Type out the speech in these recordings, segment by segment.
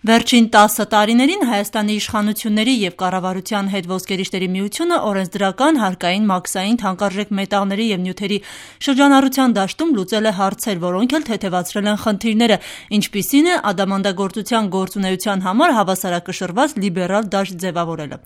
Վերջին 10 տարիներին Հայաստանի իշխանությունների և կառավարության հետ ոսկերիչների միությունը օրենսդրական, հարկային, մաքսային, թանկարժեք մետաղների և նյութերի շրջանառության դաշտում լուծել է հարցեր, որոնք էլ թեթևացրել են խնդիրները, ինչպիսին է ադամանդագործության գործունեության համար հավասարակշռված լիբերալ դաշտ ձևավորելը։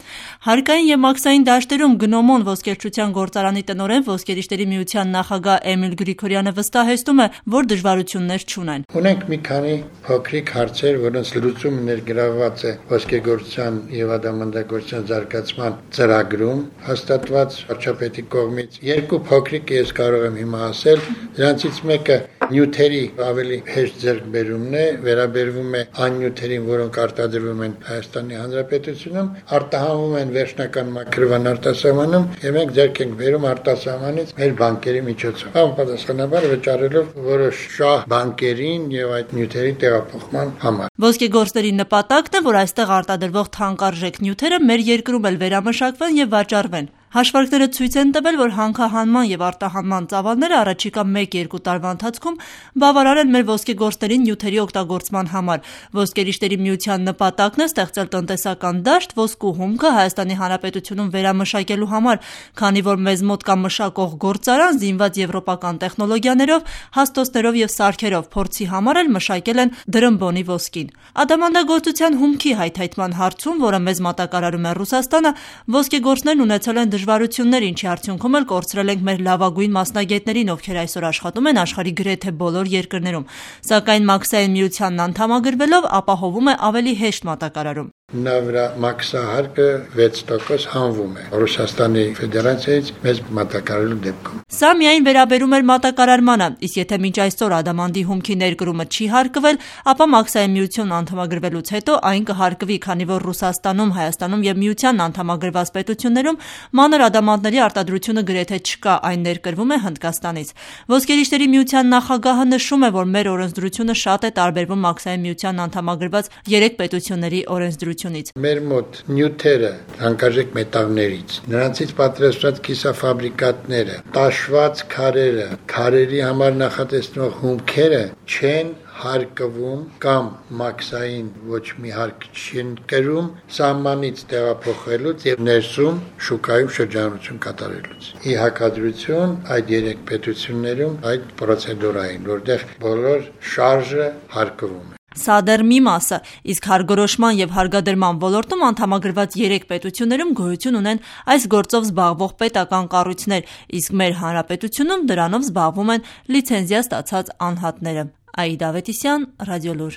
Հարկային և մաքսային դաշտերում գնոմոն ոսկերչության գործարանի տնօրեն ոսկերիչների միության նախագահ Էմիլ Գրիգորյանը վստահեցնում է, որ դժվարություններ չունեն։ Ունենք մի քանի փոքրիկ հարցեր, որոնց լուծումը ներգրավված է ոսկեգործության և ադամանդագործության զարգացման ծրագրում հաստատված վարչապետի կողմից։ Երկու փոքրիկ ես կարող եմ հիմա ասել, դրանցից մեկը նյութերի ավելի հեշտ ձեռքբերումն է, վերաբերվում է այն նյութերին, որոնք արտադրվում են Հայաստանի Հանրապետությունում, արտահանվում են վերջնական մաքրման արտասահմանում, եւ մենք ձեռք ենք բերում արտասահմանից մեր բանկերի միջոցով։ Համապատասխանաբար վճարելով որոշ շահ բանկերին եւ այդ նյութերի տեղափոխման համար։ Ոսկեգործների նպատակն է, որ այստեղ արտադրվող թանկարժեք նյութերը մեր երկրում էլ վերամշակվեն եւ վաճառվեն։ Հաշվարկները ցույց են տվել, որ հանքահանման և արտահանման ծավալները առաջիկա 1-2 տարվա ընթացքում բավարար են մեր ոսկեգործներին նյութերի օգտագործման համար։ Ոսկերիչների միության նպատակն է ստեղծել տնտեսական դաշտ ոսկու հումքը Հայաստանի Հանրապետությունում վերամշակելու համար, քանի որ մեզ մոտ կա մշակող գործարան զինված եվրոպական տեխնոլոգիաներով, հաստոցներով և սարքերով, փորձի համար էլ մշակել են դրմբոնի ոսկին։ Ադամանդագործության հումքի հայթայթման հարցում, որը մեզ մատակարարում է Ռուսաստանը, ոսկեգործներն ունեցել են դժվարություններ, ինչի արդյունքում էլ կորցրել ենք մեր լավագույն մասնագետներին, ովքեր այսօր աշխատում են աշխարհի գրեթե բոլոր երկրներում, սակայն մաքսային միությանն անդամագրվելով ապահովում է ավելի հեշտ մատակարարում։ Նա վրա մաքսահարկը 6% հանվում է Ռուսաստանի Ֆեդերացիայից մեզ մատակարարելու դեպքում։ Սա միայն վերաբերում էր մատակարարմանը, իսկ եթե մինչ այսօր ադամանդի հումքի ներկրումը չի հարկվել, ապա մաքսային միությունն անդամագրվելուց հետո այն կհարկվի, քանի որ Ռուսաստանում, Հայաստանում և միությանն անդամագրված պետություններում մանր ադամանդների արտադրությունը գրեթե չկա, այն ներկրվում է Հնդկաստանից։ Ոսկերիչների միության նախագահը նշում է, որ մեր օրենսդրությունը շատ է տարբերվում մաքսային միությանն անդամագրված 3 պետությունների օրենսդրությունից։ Մեր մոտ նյութերը թանկարժեք մետաղներից, նրանցից պատրաստված կիսաֆաբրիկատները, տաշված քարերը, քարերի համար նախատեսվող հումքերը չեն հարկվում կամ մաքսային ոչ մի հարկ չեն կրում սահմանից տեղափոխելուց եւ ներսում շուկայում շրջանառություն կատարելուց։ Ի հակադրություն այդ 3 պետություններում այդ պրոցեդուրային, որտեղ բոլոր շարժը հարկվում է։ Սա դեռ մի մասը, իսկ հարգորոշման և հարգադրման ոլորտում անդամագրված 3 պետություններում գոյություն ունեն այս գործով զբաղվող պետական կառույցներ, իսկ մեր հանրապետությունում դրանով զբաղվում են լիցենզիա ստացած անհատները։ Աիդա Ավետիսյան, Ռադիոլուր։